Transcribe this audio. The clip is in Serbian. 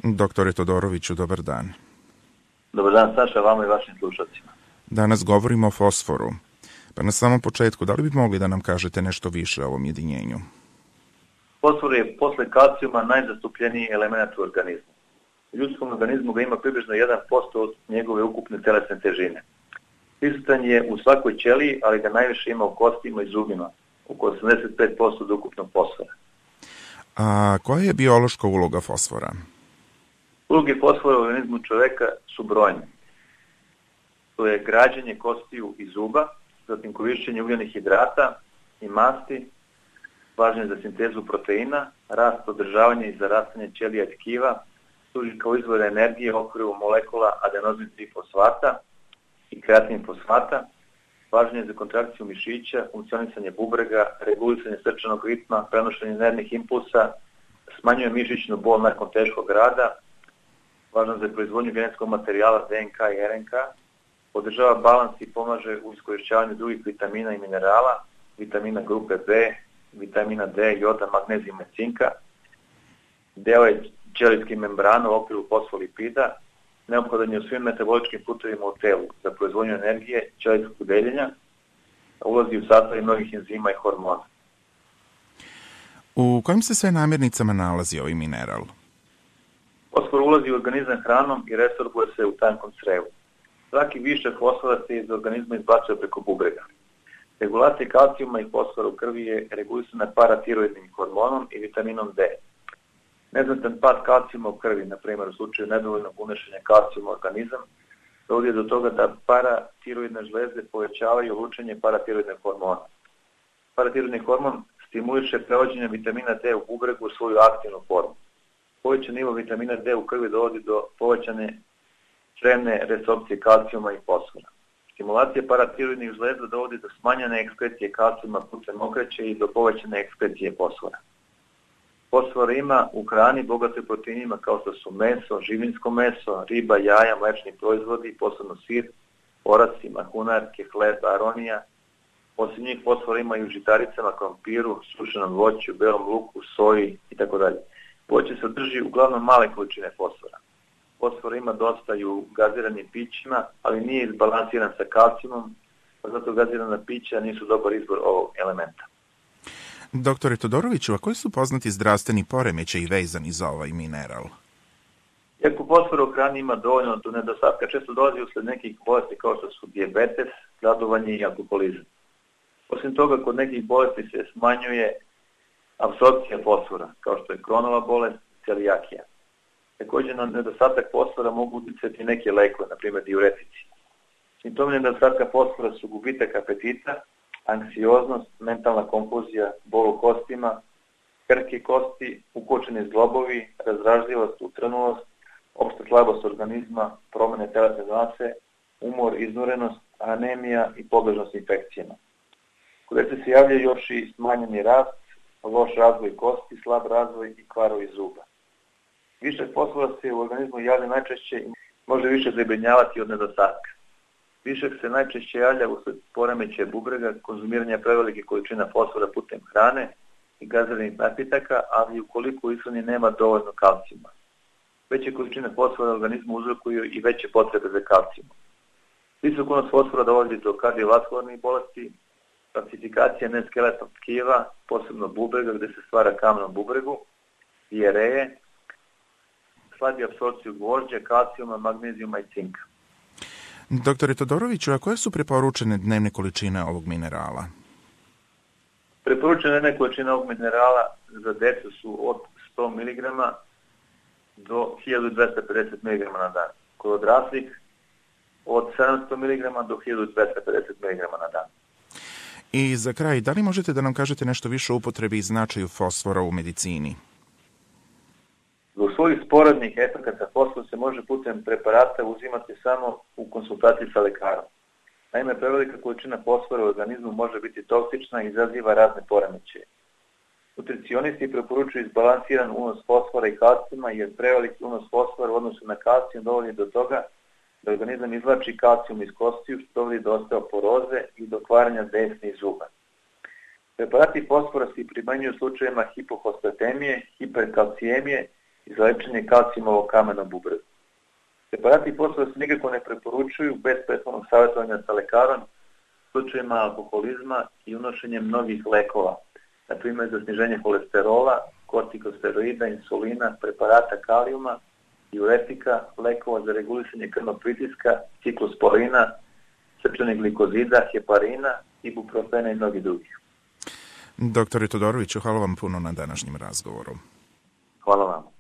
Doktore Todoroviću, dobar dan. Dobar dan, Saša, vama i vašim slušacima. Danas govorimo o fosforu. Pa na samom početku, da li bi mogli da nam kažete nešto više o ovom jedinjenju? Fosfor je posle kalcijuma najzastupljeniji element u organizmu. U ljudskom organizmu ga ima približno 1% od njegove ukupne telesne težine. Prisutan je u svakoj ćeliji, ali ga najviše ima u kostima i zubima, oko 85% od ukupnog fosfora. A koja je biološka uloga fosfora? Uloge fosfora u organizmu čoveka su brojne. To je građenje kostiju i zuba, zatim korišćenje ugljenih hidrata i masti, važno je za sintezu proteina, rast, održavanje i zarastanje ćelija i tkiva, služi kao izvor energije u okviru molekula adenozin trifosfata i kreatin fosfata, važno je za kontrakciju mišića, funkcionisanje bubrega, regulisanje srčanog ritma, prenošenje nervnih impulsa, smanjuje mišićnu bol nakon teškog rada, važno za proizvodnju genetskog materijala DNK i RNK, održava balans i pomaže u iskorišćavanju drugih vitamina i minerala, vitamina grupe B, vitamina D, joda, magnezijuma i cinka. Deo je ćelijske membrane u okviru fosfolipida, neophodan je u svim metaboličkim putevima u telu za proizvodnju energije, ćelijskog deljenja, ulazi u sastav mnogih enzima i hormona. U kojim se sve namirnicama nalazi ovaj mineral? Fosfor ulazi u organizam hranom i resorbuje se u tankom crevu. Svaki višak fosfora se iz organizma izbacuje preko bubrega. Regulacija kalcijuma i fosfora u krvi je regulisana paratiroidnim hormonom i vitaminom D. Neznatan pad kalcijuma u krvi, na primjer u slučaju nedovoljnog unošenja kalcijuma u organizam, dovodi do toga da paratiroidne žlezde povećavaju lučenje paratiroidnog hormona. Paratiroidni hormon stimuliše prevođenje vitamina D u bubregu u svoju aktivnu formu. Povećan nivo vitamina D u krvi dovodi do povećane crevne resorpcije kalcijuma i fosfora. Stimulacija paratiroidnih žlezda dovodi do smanjene ekspresije kalcijuma putem okraće i do povećane ekspresije fosfora. Fosfor ima u hrani bogatoj proteinima kao što su meso, živinsko meso, riba, jaja, mlečni proizvodi, posebno sir, oraci, mahunarke, hleb, aronija. Osim njih fosfor ima i u žitaricama, krompiru, sušenom voću, belom luku, soji itd. Voće sadrži uglavnom male količine fosfora. Fosfor ima dosta i u gaziranim pićima, ali nije izbalansiran sa kalcijumom, pa zato gazirana pića nisu dobar izbor ovog elementa. Doktore Todoroviću, a koji su poznati zdravstveni poremećaji vezani za ovaj mineral? Iako fosfora u hrani ima dovoljno do nedostatka, često dolazi usled nekih bolesti kao što su dijabetes, gladovanje i alkoholizam. Osim toga, kod nekih bolesti se smanjuje apsorpcija fosfora, kao što je Kronova bolest, celijakija. Također na nedostatak fosfora mogu uticati neke lekove, na primjer diuretici. Simptomi nedostatka fosfora su gubitak apetita, anksioznost, mentalna konfuzija, bol u kostima, krhke kosti, ukočeni zglobovi, razdražljivost, utrenulost, opšta slabost organizma, promene telesne mase, umor, iznurenost, anemija i podložnost infekcijama. Kod dece se javlja još i smanjeni rast, loš razvoj kosti, slab razvoj i kvarovi zuba. Višak fosfora se u organizmu javlja najčešće i može više zabrinjavati od nedostatka. Višak se najčešće javlja usled poremećaja bubrega, konzumiranja prevelike količina fosfora putem hrane i gaziranih napitaka, ali ukoliko u ishrani nema dovoljno kalcijuma. Veće količine fosfora u organizmu uzrokuju i veće potrebe za kalcijumom. Visok unos fosfora dovodi do kardiovaskularnih bolesti, pacifikacija neskeletnog tkiva, posebno bubrega gde se stvara kamen u bubregu, dijareje, slabi apsorpciju gvožđa, kalcijuma, magnezijuma i cinka. Doktore Todoroviću, a koje su preporučene dnevne količine ovog minerala? Preporučene dnevne količine ovog minerala za decu su od 100 mg do 1250 mg na dan. Kod odraslih od 700 mg do 1250 mg na dan. I za kraj, da li možete da nam kažete nešto više o upotrebi i značaju fosfora u medicini? Zbog svojih sporednih efekata fosfor se može putem preparata uzimati samo u konsultaciji sa lekarom. Naime, prevelika količina fosfora u organizmu može biti toksična i izaziva razne poremećaje. Nutricionisti preporučuju izbalansiran unos fosfora i kalcijuma, jer preveliki unos fosfora u odnosu na kalcijum dovodi do toga da organizam izvlači kalcijum iz kostiju, što dovodi do osteoporoze i do kvaranja desnih zuba. Preparati fosfora se primenjuju u slučajevima hipofosphatemije, hiperkalcijemije i za lečenje kalcijumovog kamena u bubrevu. Preparati fosfora se nikako ne preporučuju bez prethodnog savjetovanja sa lekarom u slučajima alkoholizma i unošenjem mnogih lekova, na primjer za sniženje kolesterola, kortikosteroida, insulina, preparata kalijuma, diuretika, lekova za regulisanje krvnog pritiska, ciklosporina, srčanih glikozida, heparina, ibuprofena i mnogi drugih. Doktore Todoroviću, hvala vam puno na današnjem razgovoru. Hvala vam.